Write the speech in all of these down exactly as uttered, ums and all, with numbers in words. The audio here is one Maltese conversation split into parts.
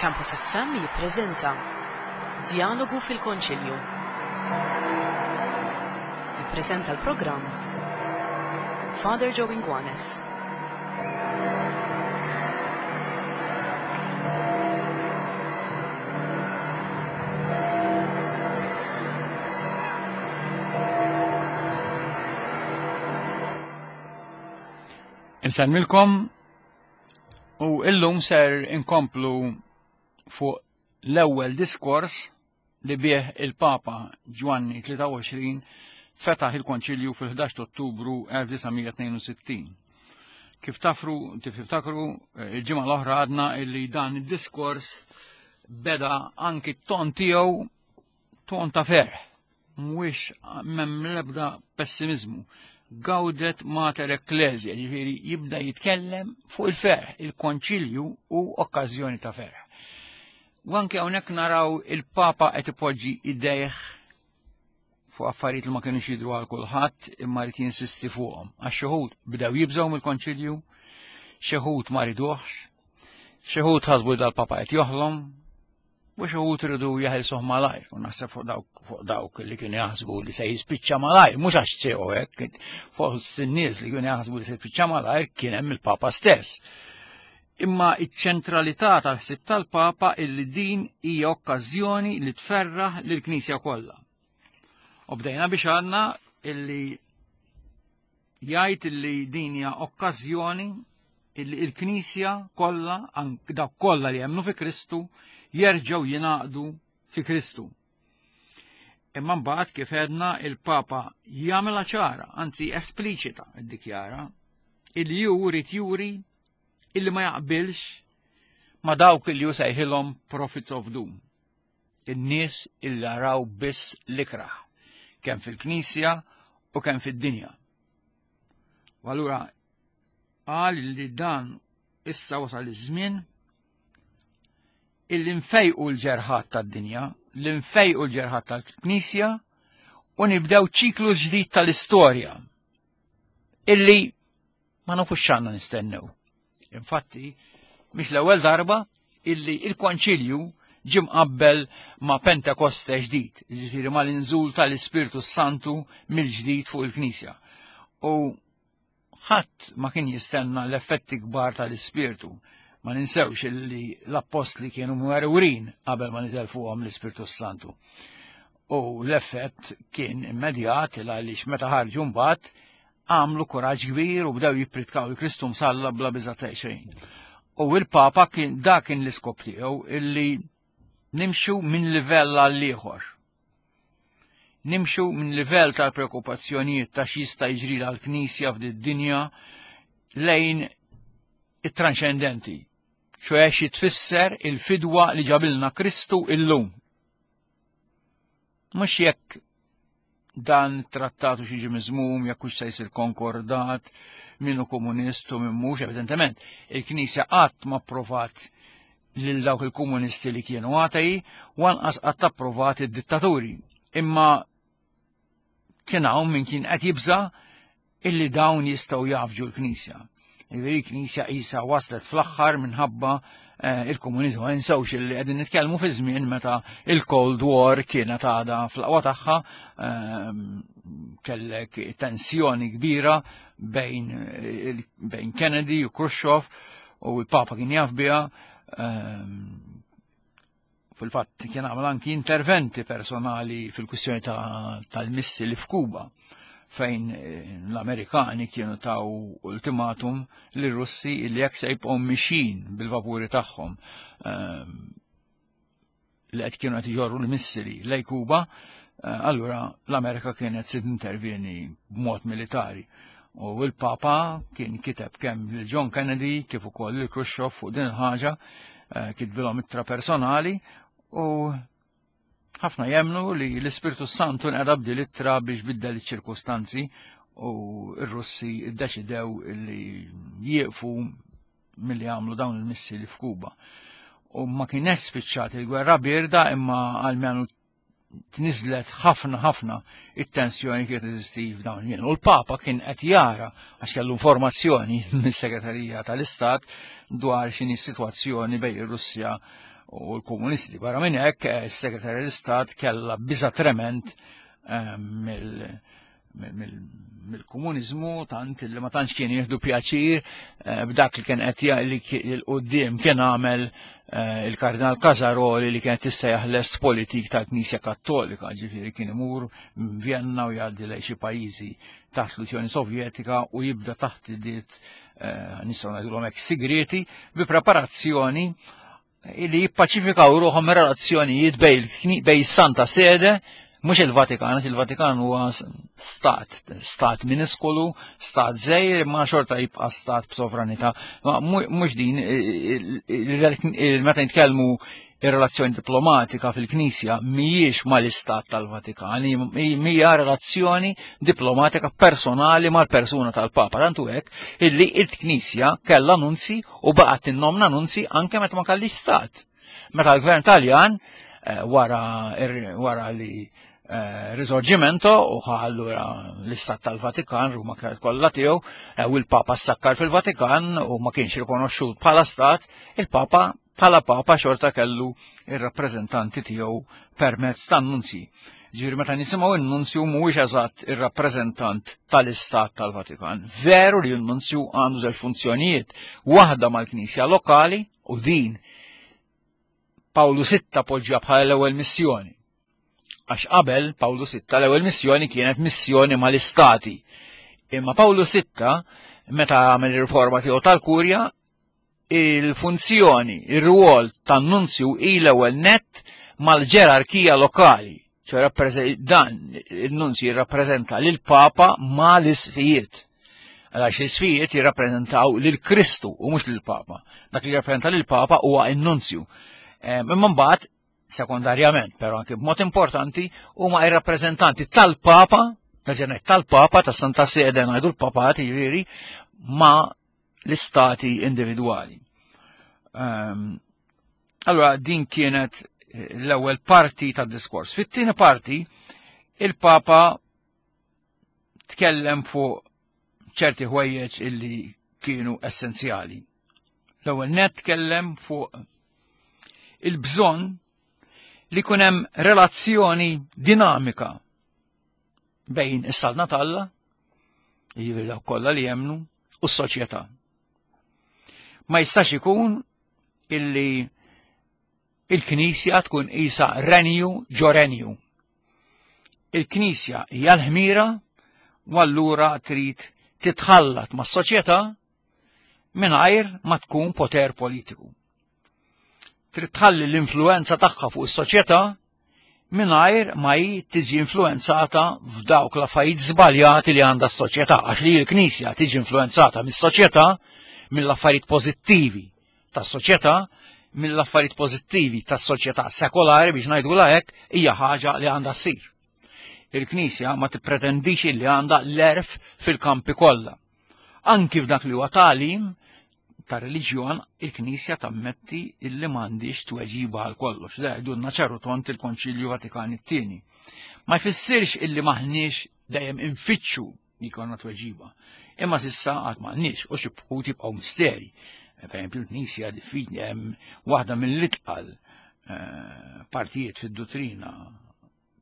Campus F M jippreżenta Djalogu fil-Konċilju. Jippreżenta l-programm Father Joe Inguanes. Insellmilkom u illum ser inkomplu fuq l-ewwel diskors li bih il-Papa Ġwanni tlieta u għoxrin fetaħ il-Konċilju fil-ħdax ta' Ottubru elf disa' mija tnejn u sittin. Kif tafru, kif tiftakru, il-ġimgħa l-oħra għadna illi dan id-diskors beda anki t-ton tiegħu ton ta' ferħ, mhuwiex m'hemm l-ebda pessimizmu. Gaudet Mater Ecclesiae, ġifieri jibda jitkellem fuq il-ferħ, il-konċilju u okkażjoni ta' ferħ. U anke hawnhekk naraw il-Papa qed ipoġġi idejh fuq affarijiet li ma kinux jidhru għal kulħadd imma rid jinsisti fuqhom. Għax xi wħud bdew jibżgħu mill-konċilju, xi wħud ma riduhx, xi wħud ħasbu li dal-Papa qed joħlom, u xi wħud iridu jeħilsuh malajr. U naħseb fuq dawk, fuq dawk li kienu jaħsbu li se jispiċċa malajr, mhux għax ċew hekk, fuq in-nies li kienu jaħsbu li se jispiċċa malajr kien hemm il-Papa stess. Imma iċ-ċentralità tal-ħsieb tal-Papa illi din hija okkażjoni li tferraħ lill-Knisja kollha. U bdejna biex għandna illi jgħid illi din hija okkażjoni illi l-Knisja kollha, ank dawk kollha li jemmnu fi Kristu, jerġgħu jingħaqdu fi Kristu. Imma mbagħad kif għedna il-Papa jagħmilha ċara, anzi espliċita ddikjara, illi hu jrid juri illi ma jaqbilx ma dawk illi hu sejħilhom prophets of doom. In-nies illi jaraw biss l-ikrah, kemm fil-Knisja u kemm fid-dinja. U allura qal li dan issa wasal iż-żmien illi nfejqu l-ġerħat tad-dinja, li nfejqu l-ġerħat tal-Knisja u nibdew ċiklu ġdid tal-istorja illi ma nafux x'għandna nistennew. Infatti, mhix l-ewwel darba illi il-Konċilju ġie mqabbel ma' Pentekoste ġdid, jiġifieri mal-inżul tal-Ispirtu Santu mill-ġdid fuq il-Knisja. U ħadd ma kien jistenna l-effetti kbar tal-Ispirtu. Ma ninsewx illi l-appostli kienu mwerwrin qabel ma niżel fuqhom l-Ispirtu Santu. U l-effett kien immedjat għaliex meta ħarġu mbagħad għamlu kuraġġ kbir u bdew jippritkaw il-Kristu msalla bla biża' ta' xejn. U l-Papa kien dak kien l-iskop tiegħu illi nimxu minn livell għal ieħor. Nimxu minn livell tal-preokkupazzjonijiet ta' x'jista' jiġri għall-Knisja f'din id-dinja lejn it-tranxendenti. ċoħe xi tfisser il-fidwa li ġabilna Kristu illum. Mhux jekk dan trattatu xi ġie miżmum, jekk hux se jsir konkordat, min hu komunist u min mhux, evidentement, il-Knisja qatt ma approvat lil dawk il-komunisti li kienu atei, u anqas qatt approvat id-dittaturi. Imma kien hawn min kien qed jibża' illi dawn jistgħu jafġu l-Knisja. Jiġifieri l-Knisja qisha waslet fl-aħħar minħabba, eh, il-komuniżmu. Ma ninsewx illi qegħdin nitkellmu fi żmien meta il-Cold War kienet għadha fl-aqwa tagħha, ehm, kellek tensjoni kbira bejn, eh, bejn Kennedy u Khrushchev, u l-Papa kien jaf biha, ehm, fil-fatt kien għamel anki interventi personali fil-kwistjoni ta-, tal-missili f'Kuba, fejn, eh, l-Amerikani kienu taw ultimatum lir-Russi li jekk se jibqgħu mixin bil-vapuri tagħhom, ehm, li qed kienu qed iġorru l-missili lejn Kuba, eh, allura l-Amerika kienet se tintervjeni b'mod militari. U l-Papa kien kiteb kemm lil John Kennedy kif ukoll lil Khrushchev fuq din il-ħaġa, eh, kitbilhom ittra personali, u ħafna jemnu li l-Ispirtu Santu nqeda b'din l-ittra biex biddel iċ-ċirkustanzi u r-Russi ddeċidew li jieqfu milli għamlu dawn il-missili f'Kuba. U ma kienet spiċċat il-gwerra bierda, imma għalmenu tniżlet ħafna ħafna it-tensjoni kienet teżisti f'dawn il-jiem. U l-Papa kien qed jara għax kellu informazzjoni mis-Segretarija tal-Istat dwar x'inhi s-sitwazzjoni bejn ir-Russja u l-komunisti. Barra minn hekk, is-Segretarju tal-Istat kellha biża trement mill-komuniżmu, tant li ma tantx kien jieħdu pjaċir b'dak li kien qed li l-quddiem kien għamel il-Kardinal Casaroli li kienet tissejjaħ l-est politik tal-Knisja Kattolika, ġifieri kien imur Vienna u jgħaddi lejn xi pajjiżi taħt l-Unjoni Sovjetika u jibda taħt id nistgħu ngħidulhom hekk sigrieti bi preparazzjoni li jippaċifikaw ruħhom relazzjonijiet bejn Santa Sede, mhux il-Vatikan, il-Vatikan huwa stat, stat miniskolu, stat żgħir, ma xorta jibqa' stat b'sovranità. Mhux din, meta nitkellmu ir-relazzjoni diplomatika fil-Knisja mhijiex mal-istat tal-Vatikan, hija relazzjoni diplomatika personali mal-persuna tal-Papa. Tantu hekk illi il-Knisja kellha nunzi u baqgħet tinnomna nunzi anke meta ma kellix stat. Meta l-Gvern Taljan wara wara li Risorgimento u allura l-istat tal-Vatikan, Ruma kienet kollha tiegħu, u l-Papa sakkar fil-Vatikan u ma kienx rikonoxxut bħala stat, il-Papa bħala Papa xorta kellu ir-rappreżentanti tiegħu permezz tan-nunzi. Ġifieri meta nisimgħu n-nunzju mhuwiex eżatt ir-rappreżentant tal-Istat tal-Vatikan. Veru li n-nunzju għandu żewġ funzjonijiet, waħda mal-Knisja lokali u din Pawlu Sitta poġġa bħala l-ewwel missjoni. Għax qabel Pawlu Sitta l-ewwel missjoni kienet missjoni mal-istati. Imma Pawlu Sitta meta għamel ir-riforma tiegħu tal-Kurja, il-funzjoni, ir-rwol tan-nunzju hi l-ewwel nett mal-ġerarkija lokali. ċe dan il-nunzju jirrappreżenta lil Papa mal-isfijiet. Għax l-isfijiet jirrappreżentaw lil Kristu u mhux lil Papa. Dak li jirrappreżenta lil Papa huwa n-nunzju. Imma mbagħad sekondarjament, però anke b'mod importanti, huma ir-rappreżentanti tal-Papa, tal-Papa, tas-Santa Sede ngħidu l-Papat, jiġifieri, ma' l-istati individwali. Allora, din kienet l-ewwel parti tad-diskors. Fit-tieni parti, il-Papa tkellem fuq ċerti ħwejjeġ illi kienu essenzjali. L-ewwel net tkellem fuq il-bżonn li jkun hemm relazzjoni dinamika bejn is-saltna t'Alla, jiġifieri dawk kollha li jemmnu, u s-soċjetà. Ma jistax ikun illi il-Knisja tkun isa renju ġo renju. Il-Knisja hija l-ħmira u allura trid titħallat mas-soċjetà mingħajr ma tkun poter politiku. Trid tħalli l-influenza tagħha fuq is-soċjetà mingħajr ma hi tiġi influenzata f'dawk l-affarijiet żbaljati li għandha s-soċjetà, għax li l-Knisja tiġi influenzata mis-soċjetà, mill-affarijiet pożittivi tas-soċjetà, mill-affarijiet pożittivi tas-soċjetà sekolari biex ngħidulha hekk, hija ħaġa li għandha ssir. Il-Knisja ma tippretendix li għandha l-erf fil-kampi kollha. Anki f'dak li huwa tagħlim ta' reliġjon, il-Knisja tammetti illi m'għandix tweġiba għal kollox. Da jgħidulna ċaru tont il-Konċilju Vatikan it-tieni. Ma jfissirx illi maħniex dejjem infittxu li jkollna tweġiba. Imma s'issa għad m'għandniex u xi wħud jibqgħu misteri. Per esempio, l-Knisja diffiċli hemm waħda mill-itqal partijiet fid-dottrina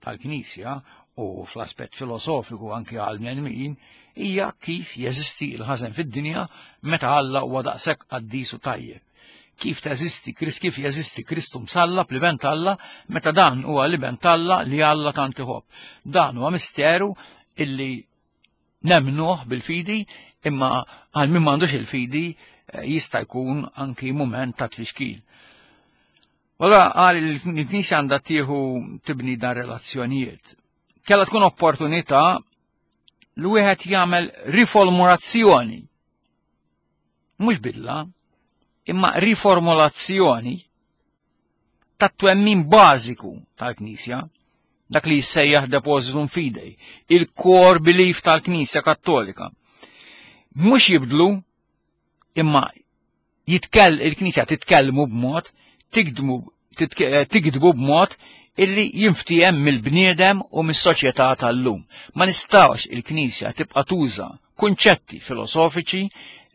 tal-Knisja u fl-aspett filosofiku anki għal bnedmin hija kif jeżisti l-ħażen fid-dinja meta Alla huwa daqshekk qaddis u tajjeb. Kif teżisti, kif jeżisti Kristu msallab li ben t'Alla meta dan huwa li ben t'Alla li Alla tant iħobb. Dan huwa misteru illi nemnuh bil-fidi, imma għal min m'għandux il-fidi jista' jkun anki mument ta' tfixkil. Allora għal il-Knisja għandha tieħu tibni dan relazzjonijiet. Kella tkun opportunità li wieħed jagħmel riformulazzjoni. Mhux bidla, imma riformulazzjoni tat-twemmin bażiku tal-Knisja, dak li jissejjaħ depositum fidei, il-core belief tal-Knisja Kattolika. Mhux jibdlu, imma jitkell il-Knisja titkellmu b'mod, tikdmu tikdbu b'mod illi jinftiehem mill-bniedem u mis-soċjetà tal-lum. Ma nistgħux il-Knisja tibqa' tuża kunċetti filosofiċi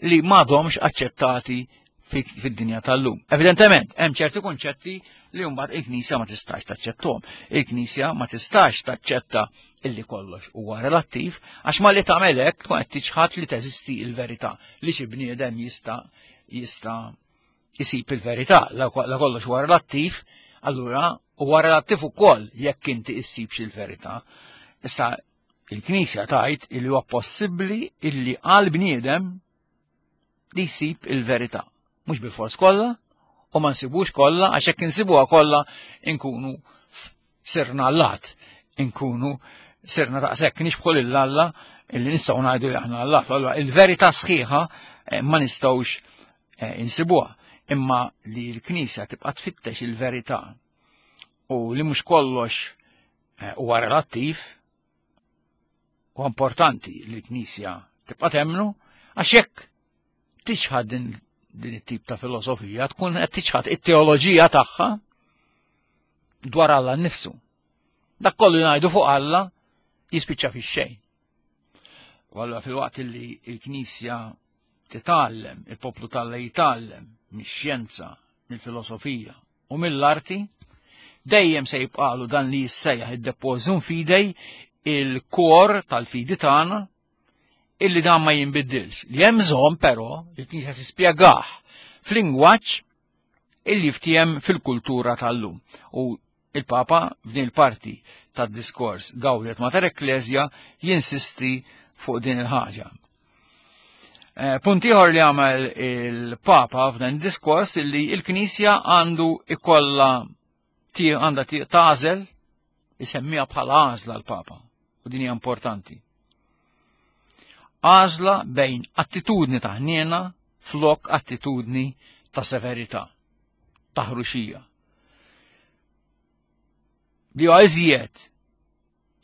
li m'għadhomx aċċettati fid-dinja tal-lum. Evidentement, hemm ċerti konċetti li mbagħad il-Knisja ma tistax taċċettuhom. Il-Knisja ma tistax taċċetta illi kollox huwa relattiv, għax ma li tagħmel hekk tkun qed tiċħad li teżisti l-verità, li xi bniedem jista' jista' jsib il-verità, la kollox huwa relattiv, allura huwa relattiv ukoll jekk inti issibx il-verità. Issa il-Knisja tgħid illi huwa possibbli illi għal bniedem li jsib il-verità. Mhux bil-fors kollha, u ma nsibux kollha, għax hekk insibuha kollha inkunu sirna allat, inkunu sirna daqshekk nixbħu lil Alla illi nistgħu ngħidu li aħna allat. Allura il-verità sħiħa ma nistgħux insibuha, imma li l-Knisja tibqa' tfittex il-verità u li mhux kollox huwa relattiv, u importanti li l-Knisja tibqa' temmnu, għax jekk tiċħad din din it-tip ta' filosofija tkun qed tiċħad it-teoloġija tagħha dwar Alla nnifsu. Dak kollu ngħidu fuq Alla jispiċċa fix-xejn. U allura fil-waqt li l-Knisja titgħallem, il-poplu t'Alla jitgħallem mix-xjenza, mill-filosofija u mill-arti, dejjem se jibqalu dan li jissejjaħ id-depositum fidei, il-kor tal-fidi tagħna, illi dan ma jinbidilx. Li hemm bżonn però li l-Knisja tispjegah f'lingwaġġ illi ftiem fil-kultura tal-lum. U il-Papa f'din il-parti tad-diskors Gaudium Mater Ecclesia jinsisti fuq din il-ħaġa. Punt ieħor li għamel il-Papa f'dan id-diskors illi il-Knisja għandu ikolla għandha tagħżel, isemmiha bħala għażla l-Papa, u din hija importanti. Għażla bejn attitudni ta' ħniena flok attitudni ta' severità, ta' ħruxija. Li huwa iżjed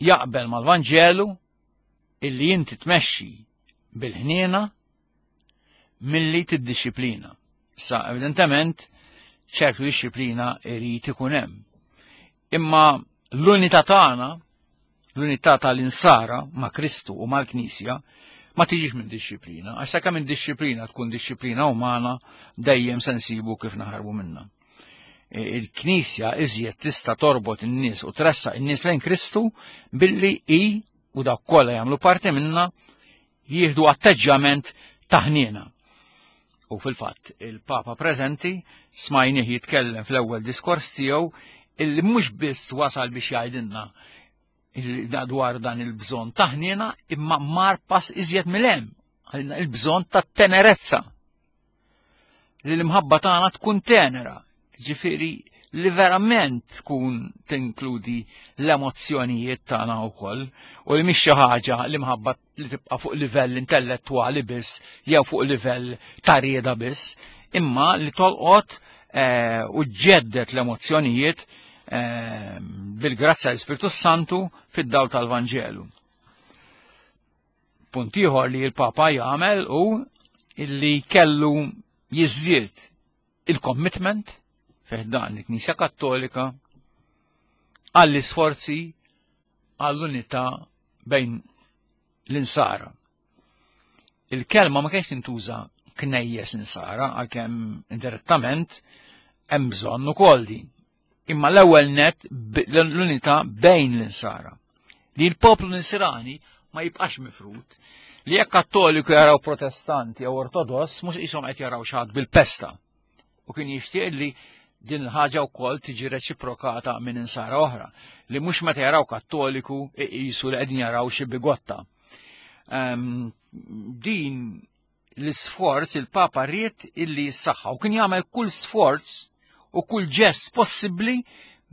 jaqbel mal-Vanġelu illi inti tmexxi bil-ħniena milli tiddixxiplina. Sa evidentement ċertu dixxiplina irid ikun hemm. Imma l-unità tagħna, l-unità tal-insara ma' Kristu u mal-Knisja, ma tiġix minn dixxiplina, għax sakemm minn dixxiplina tkun dixxiplina umana, dejjem se nsibu kif naħarbu minnha. Il-Knisja iżjed tista' torbot in-nies u tressaq in-nies lejn Kristu billi hi u dawk kollha jagħmlu parti minnha jieħdu atteġġjament ta' ħniena. U fil-fatt il-Papa preżenti smajnieh jitkellem fl-ewwel diskors tiegħu illi mhux biss wasal biex jgħidilna dwar dan il-bżonn ta' ħniena, imma mar pass iżjed mill-hemm, għalina il-bżonn ta' tenerezza. Li l-imħabba tagħna tkun tenera, ġifieri li verament tkun tinkludi l-emozzjonijiet tagħna wkoll, u li mhix xi ħaġa l-imħabba li tibqa' fuq livell intellettwali biss jew fuq livell ta' rieda biss, imma li tolqot u ġeddet l-emozzjonijiet bil-grazzja l-Ispirtu Santu fid-dawl tal-Vanġelu. Punt ieħor li l-Papa jagħmel hu illi kellu jiżdied il-commitment fih dan il-Knisja Kattolika għall-isforzi għall-unità bejn l-insara. Il-kelma ma kienx tintuża knejjes insara, għalkemm indirettament hemm bżonn ukoll din. Imma l-ewwel net l-unità bejn l-insara. Li l-poplu nisrani ma jibqax mifrut, li jekk kattoliku jaraw protestanti jew ortodoss mhux qishom qed jaraw xi ħadd bil-pesta. U kien jixtieq li din il-ħaġa wkoll tiġi reċiprokata minn insara oħra, li mhux meta jaraw kattoliku iqisu li qegħdin jaraw xi bigotta. Din l-isforz il-Papa ried illi jissaħħa u kien jagħmel kull sforz u kull ġest possibbli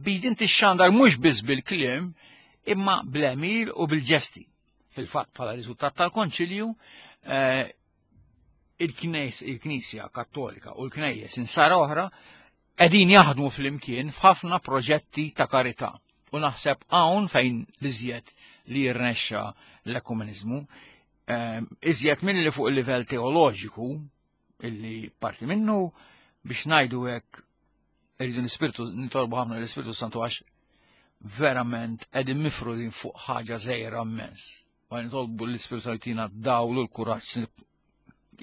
biex din tixxandar mhux biss bil-kliem imma bl-għemil u bil-ġesti. Fil-fatt bħala riżultat tal-Konċilju il-Knisja Kattolika u l-Knejjes insara oħra qegħdin jaħdmu flimkien f'ħafna proġetti ta' karità. U naħseb hawn fejn l-iżjed li jirnexxa l-ekumenizmu, iżjed minn li fuq il-livell teoloġiku illi parti minnu biex ngħidu hekk irridu l-Ispirtu, nitolbu ħafna l-Ispirtu Santu għax verament qegħdin mifrudin fuq ħaġa żgħira immens. U nitolbu l-Ispirtu Santu jtina dawl u l-kuraġġ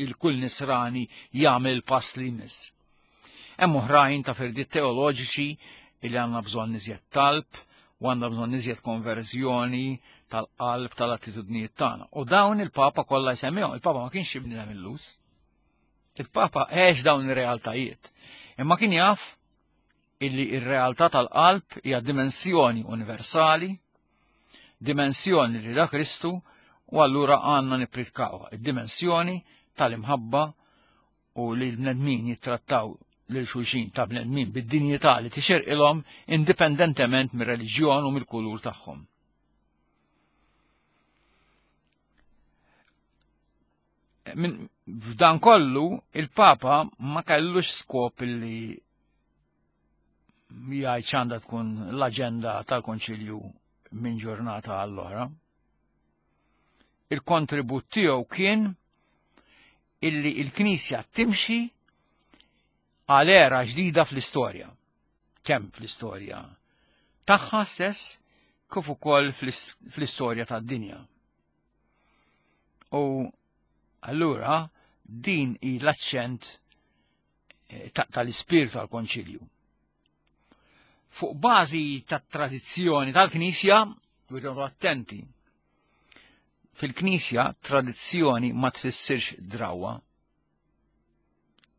il-kull nisrani jagħmel pass li jmiss. Hemm oħrajn ta' firdiet teoloġiċi li għandna bżonn iżjed talb u għandna bżonn iżjed konverżjoni tal-qalb tal-attitudnijiet tagħna. U dawn il-Papa kollha jsemmihom, il-Papa ma kienx bniedem illus. Il-Papa għex dawn ir-realtajiet. Imma kien jaf illi ir-realtà tal-qalb hija dimensjoni universali, dimensjoni li da Kristu, u allura għandna nippritkaw id-dimensjoni tal-imħabba u li l-bnedmin jittrattaw lil xulxin ta' bnedmin bid-dinjità li tixirqilhom indipendentement mir-reliġjon u mill-kulur tagħhom. F'dan kollu il-Papa ma kellux skop li jgħid x'għandha tkun l-aġenda tal-Konċilju minn ġurnata għall-oħra. Il-kontribut tiegħu kien illi il-Knisja timxi għal era ġdida fl-istorja. Kemm fl-istorja tagħha stess kif ukoll fl-istorja tad-dinja. U allura din hi l-aċċent tal-ispirtu tal-Konċilju. Fuq bażi tat-tradizzjoni tal-Knisja, rridu attenti. Fil-Knisja tradizzjoni ma tfissirx drawa,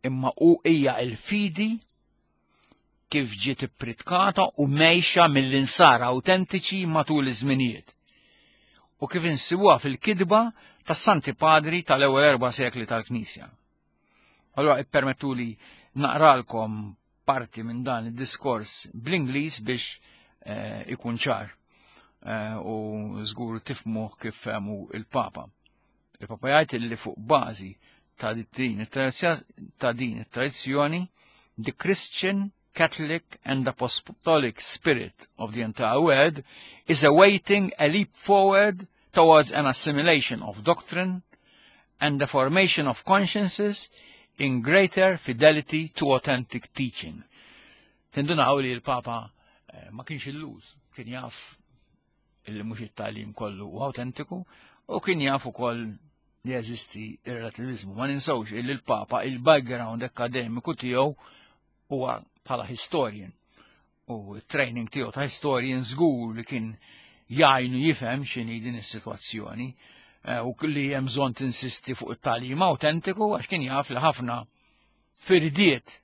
imma u hija l-fidi kif ġiet ippritkata u mejxa mill-insara autentiċi matul iż-żminijiet. U kif insibuha fil-kidba tas-Santi Padri tal-ewwel erba' sekli tal-Knisja. Allura ippermettuli naqralkom parti minn dan id-diskors bl-Ingliż biex eh, ikun ċar eh, u żgur tifhmuh kif fehmu il-Papa. Il-Papa jgħid li fuq bażi ta' din it-tradizzjoni, the Christian, Catholic and Apostolic spirit of the entire world is awaiting a leap forward towards an assimilation of doctrine and the formation of consciences in greater fidelity to authentic teaching. Tindunaw li l-Papa eh, ma kienx illuż, kien jaf illi mhux it-tagħlim kollu u autentiku u kien jaf ukoll li jeżisti ir-relativizmu. Ma ninsewx illi l-Papa il-background akademiku tiegħu huwa bħala historian u training tiegħu ta' historian żgur li kien jgħinu jifhem x'inhi din is-sitwazzjoni u li hemm bżonn tinsisti fuq it-tagħlim autentiku għax kien jaf li ħafna firdiet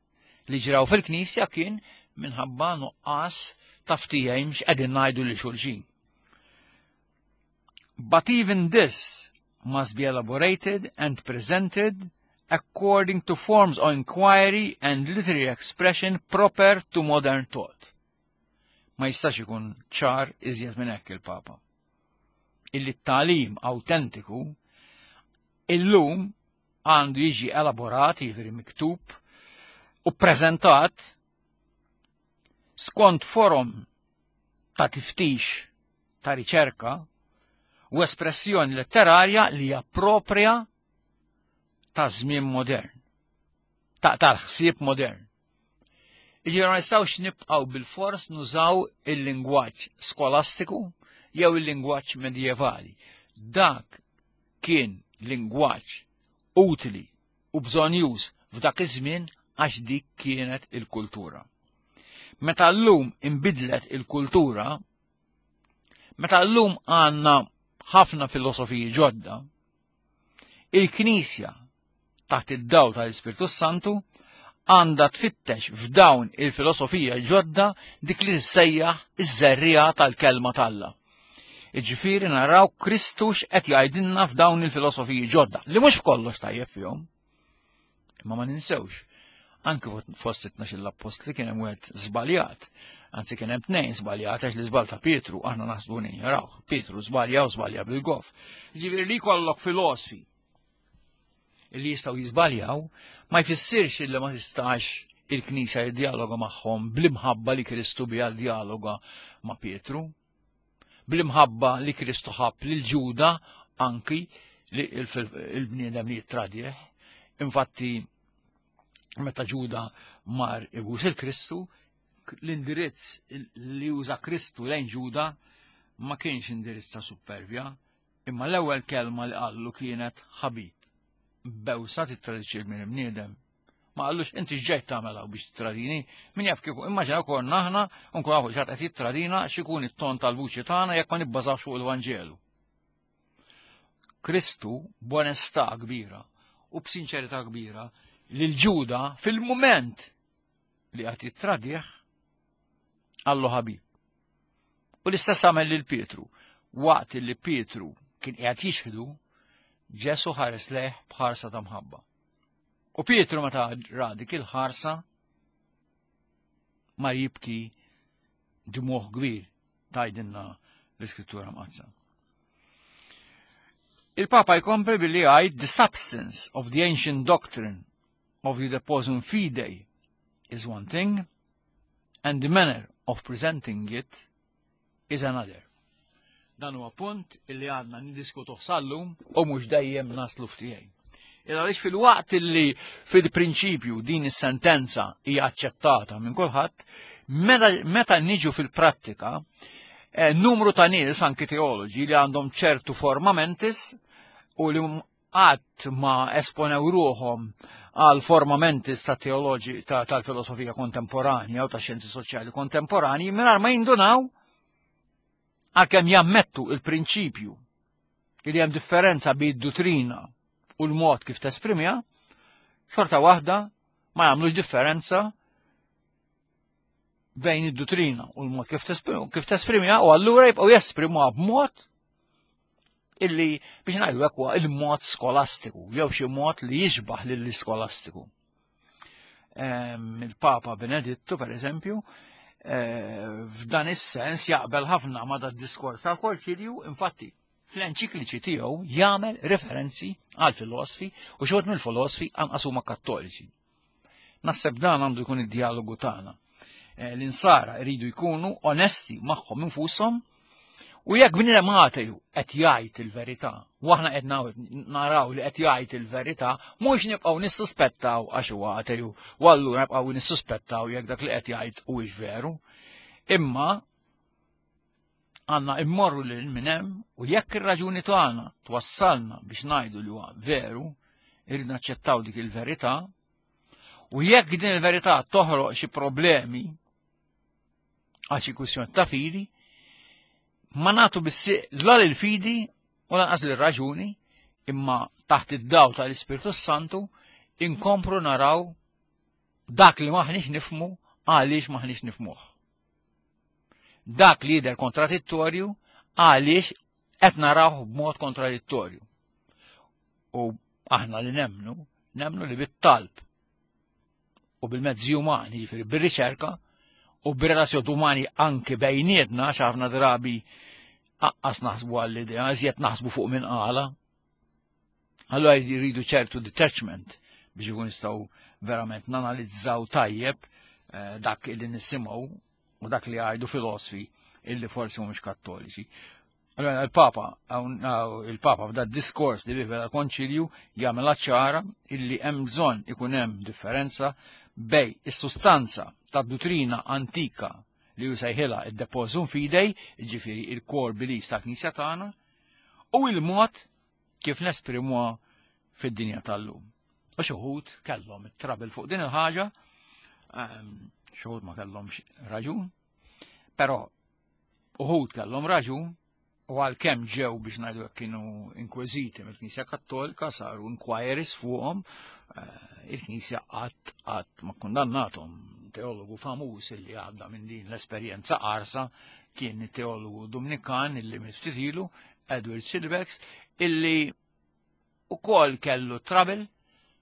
li ġraw fil-Knisja kien minħabba nuqqas ta' ftehim x'qegħdin ngħidu lil xulxin. But even this must be elaborated and presented according to forms of inquiry and literary expression proper to modern thought. Ma jistax ikun ċar iżjed minn hekk il-Papa. Illi t-tagħlim autentiku illum għandu jiġi elaborat, jiġifieri miktub u preżentat skont forum ta' tiftix ta' riċerka u espressjoni letterarja li hija propria ta' żmien modern, ta' tal-ħsieb modern. Jiġifieri ma nistgħux nibqgħu bil-fors nużaw il-lingwaġġ skolastiku jew il-lingwaġġ medjevali. Dak kien lingwaġġ utili u bżonjuż f'dak iż-żmien għax dik kienet il-kultura. Meta llum inbidlet il-kultura, meta llum għandna ħafna filosofiji ġodda, il-Knisja taħt id-dawl tal-Ispirtu Santu għandha tfittex f'dawn il-filosofija ġodda dik li tissejjaħ iż-żerriegħa tal-kelma t'Alla. Jiġifieri naraw Kristu x'qed jgħidilna f'dawn il-filosofiji ġodda, li mhux f'kollox tajjeb fihom. Imma ma ninsewx, anke fost it-tnax l-appostli kien hemm wieħed żbaljat, anzi kien hemm tnejn żbaljat għax l-iżbal ta' Pietru aħna naħsbu ninjorawh. Pietru żbalja u żbalja bil-gof. Jiġifieri li jkollok filosfi li jistgħu jiżbaljaw ma jfissirx illi ma tistax il-Knisja jiddialoga magħhom bl-imħabba li Kristu biha dialoga ma' Pietru, bl-imħabba li Kristu ħabb lil Ġuda anki li il-bniedem li jittradih. Infatti meta Ġuda mar ibus il-Kristu, l-indirizz li uża Kristu lejn Ġuda ma kienx indirizz ta' supervja, imma l-ewwel kelma li qallu kienet ħabib. Bewsa tittradixxi l-bniedem. Ma qallux inti x'ġejt tagħmel hawn biex tittradini, min jaf kieku immaġina konna aħna u nkun nafu xi ħadd qed jittradina x'ikun it-ton tal-vuċi tagħna jekk ma nibbażawx fuq il-Vanġelu. Kristu b'onestà kbira u b'sinċerità kbira lil Ġuda fil-mument li qed jittradih qallu ħabib. U l-istess għamel lil Pietru. Waqt li Pietru kien qiegħed jixħdu, Ġesu ħares lejh b'ħarsa ta' mħabba. U Pietru meta ra dik il-ħarsa ma jibki dmuħ kbir tgħidilna l-Iskrittura Mqaddsa. Il-Papa jkompli billi jgħid the substance of the ancient doctrine of the depositum fidei is one thing and the manner of presenting it is another. Dan huwa punt illi għadna niddiskutuh sal-lum u mhux dejjem naslu f'tiegħi. Il għaliex fil-waqt illi fil-prinċipju din is-sentenza hija aċċettata minn kulħadd, meta niġu fil-prattika, eh, numru ta' nies anki teoloġi li għandhom ċertu forma mentis u li qatt ma esponew ruħhom għal forma mentis ta' teoloġi tal-filosofija kontemporanja u ta' xjenzi soċjali kontemporani mingħajr ma jindunaw għalkemm jammettu il-prinċipju li hemm differenza bejn dottrina u l-mod kif tesprimiha, xorta waħda ma jagħmlux differenza bejn id-dottrina u l-mod kif kif tesprimiha u allura jibqgħu jesprimuha b'mod illi biex ngħidu hekk huwa il-mod skolastiku jew xi mod li jixbaħ lill-iskolastiku. Il-Papa Benedittu, per eżempju, eh, f'dan is-sens jaqbel ħafna ma' dat diskors tal-Konċilju, infatti fl-enċikliċi tiegħu jagħmel referenzi għal filosfi u xi mill-filosfi anqas huma kattoliċi. Naħseb dan għandu jkun id-dialogu tagħna. Eh, l-insara jridu jkunu onesti magħhom infushom u jekk bniedem ateju qed jgħid il-verità, u aħna qed naraw li qed jgħid il-verità, mhux nibqgħu nissuspettaw għax huwa ateju, u allura nibqgħu nissuspettaw jekk dak li qed jgħid huwiex veru. Imma għandna immorru lil minn hemm u jekk ir-raġuni tagħna twassalna biex ngħidu li huwa veru, irrid naċċettaw dik il-verità, u jekk din il-verità toħroq xi problemi għal xi kwistjoni ta' fidi, ma nagħtu biss la lil-fidi u lanqas lir-raġuni, imma taħt id-daw tal-Ispirtu Santu inkompru naraw dak li maħniex nifhmu għaliex maħniex nifhmuh. Dak li jidher kontradittorju għaliex qed naraw b'mod kontradittorju. U aħna li nemnu, nemnu li bit-talb u bil-mezzi umani, jiġifieri bir-riċerka u bir-relazzjoni umani anke bejnietna ħafna drabi aqqas naħsbu għall-idea, iżjed naħsbu fuq minn qala. Allura jridu ċertu detachment biex ikun nistgħu verament nanalizzaw tajjeb eh, dak li nisimgħu u dak li għajdu filosfi illi forsi mhumiex kattoliċi. Allora il-Papa, il-Papa f'da diskors li bih konċilju jagħmel ċara illi hemm bżonn ikun hemm differenza bejn is-sustanza tad-dottrina antika li jsejħilha id-depositum fidei, ġifieri il-core beliefs tal-Knisja tagħna, u il-mod kif nesprimuha fid-dinja tal-lum. U xi wħud kellhom it-trouble fuq din il-ħaġa, ehm, xi wħud ma kellhomx raġun, però uħud kellhom raġun u għalkemm ġew biex ngħidu kienu inkweżiti mill-Knisja Kattolika saru inquiries fuqhom, eh, il-Knisja qatt qatt ma kundannathom. Teologu famuż illi għadda minn din l-esperjenza qarsa kien teologu Dominikan illi miet ilu, Edward Schillebeeckx, illi ukoll kellu trouble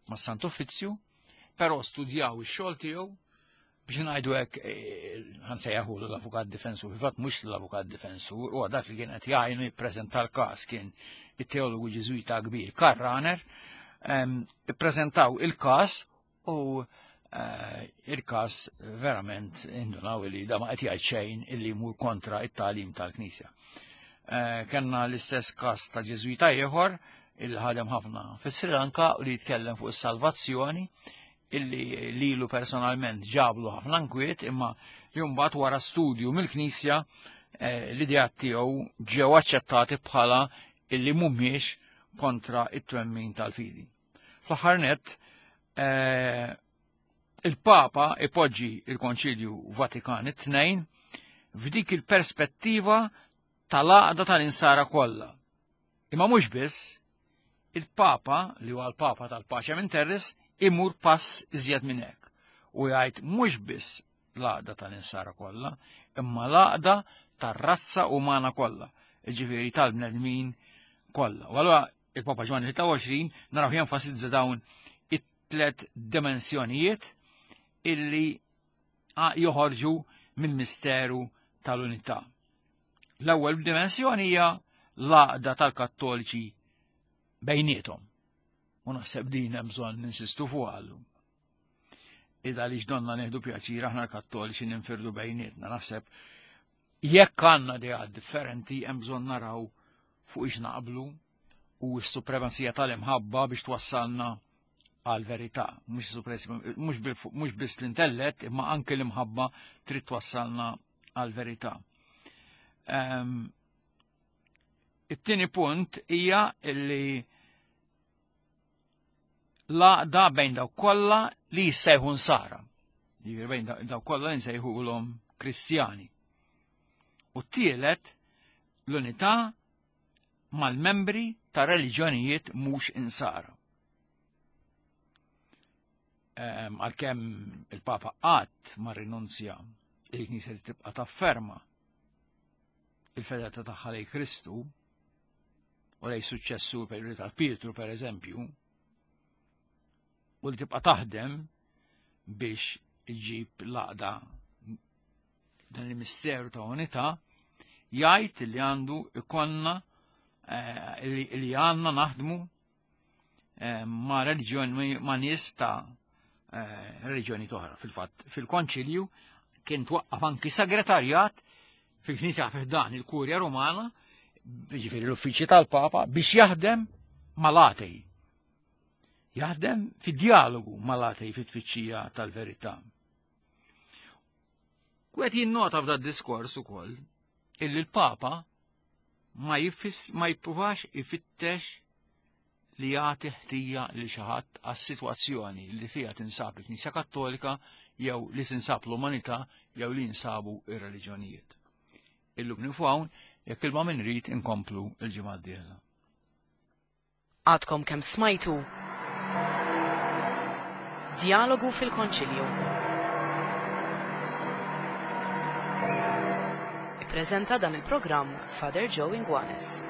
ma' Sant Uffizzju, però studjaw ix-xogħol tiegħu biex ngħidu hekk eh, ħa nsejjaħu l-avukat difensur, fil-fatt mhux l-avukat difensur, u dak li kien qed jgħinu jippreżenta l-każ kien it-teologu Ġiżwita kbir Karl Rahner, ippreżentaw il-każ u eh, il-każ verament indunaw li da ma qed jgħid xejn illi jmur kontra it-tagħlim tal-Knisja. Eh, Kenna l-istess każ ta' Ġiżwita ieħor il ħadem ħafna fis-Sri Lanka u li jitkellem fuq is-salvazzjoni illi lilu personalment ġablu ħafna nkwiet imma li mbagħad wara studju mill-Knisja eh, l-idea tiegħu ġew aċċettati bħala illi mhumiex kontra it-twemmin tal-fidi. Fl-aħħar nett, eh, il-Papa ipoġġi il-Konċilju Vatikan it-tnejn f'dik il-perspettiva tal-għaqda tal-insara kollha. Imma mhux biss, il-Papa, li huwa l-Papa tal-Pacem in Terris, imur pass iżjed minn hekk u jgħid mhux biss l-għaqda tal-insara kollha, imma l-għaqda tar-razza umana kollha, jiġifieri tal-bnedmin kollha. U allura il-Papa Ġwanni tlieta u għoxrin naraw jenfasizza dawn it-tlet dimensjonijiet illi joħorġu mill-misteru tal-unità. L-ewwel dimensjoni hija l-għaqda tal-Kattoliċi bejniethom. U naħseb din hemm bżonn ninsistu fuq għallu. Ida li ġdonna neħdu pjaċir aħna l-Kattoliċi ninfirdu bejnietna. Naħseb jekk għandna ideat differenti hemm bżonn naraw fuq ix naqblu u s-supremazija tal-imħabba biex twassalna għal-verità. Mhux biss l-intellett, imma anke l-imħabba trid twassalna għal-verità. It-tieni punt hija li l-għaqda bejn dawk kollha li jissejħu nsara. Jiġifieri bejn dawk kollha li nsejħulhom Kristjani. U t-tielet l-unità mal-membri ta' reliġjonijiet mhux insara. Għalkemm il-Papa qatt ma rinunzja il-Knisja tibqa' tafferma il-fedeltà tagħha lejn Kristu u lejn suċċessu per tal Pietru per eżempju, u li tibqa' taħdem biex iġib l-għaqda dan il-misteru ta' unità, jgħid li għandu ikonna li għandna naħdmu ma' reliġjoni ma' nies ta' reliġjoni oħra. Fil-fatt, fil-konċilju kien twaqqaf anki segretarjat fil-Knisja fiħdan il-Kurja Rumana, jiġifieri l-uffiċċju tal-Papa, biex jaħdem mal-atej. Jaħdem fid-dialogu mal-atej fit-tfittxija tal-verità. Kwet jinnota f'da diskors ukoll illi l-Papa ma jifis ma jippruvax ifittex li jagħti ħtija lil xi ħadd għas-sitwazzjoni li fiha tinsab il-Knisja Kattolika jew li tinsab l-umanità jew li jinsabu ir-reliġjonijiet. Illum nieqfu hawn, jekk ilma min rid inkomplu l-ġimgħa d-dieħla. Għadkom kemm smajtu Dialogu fil-Konċilju. Ippreżenta dan il-programm Father Joe Inguanes.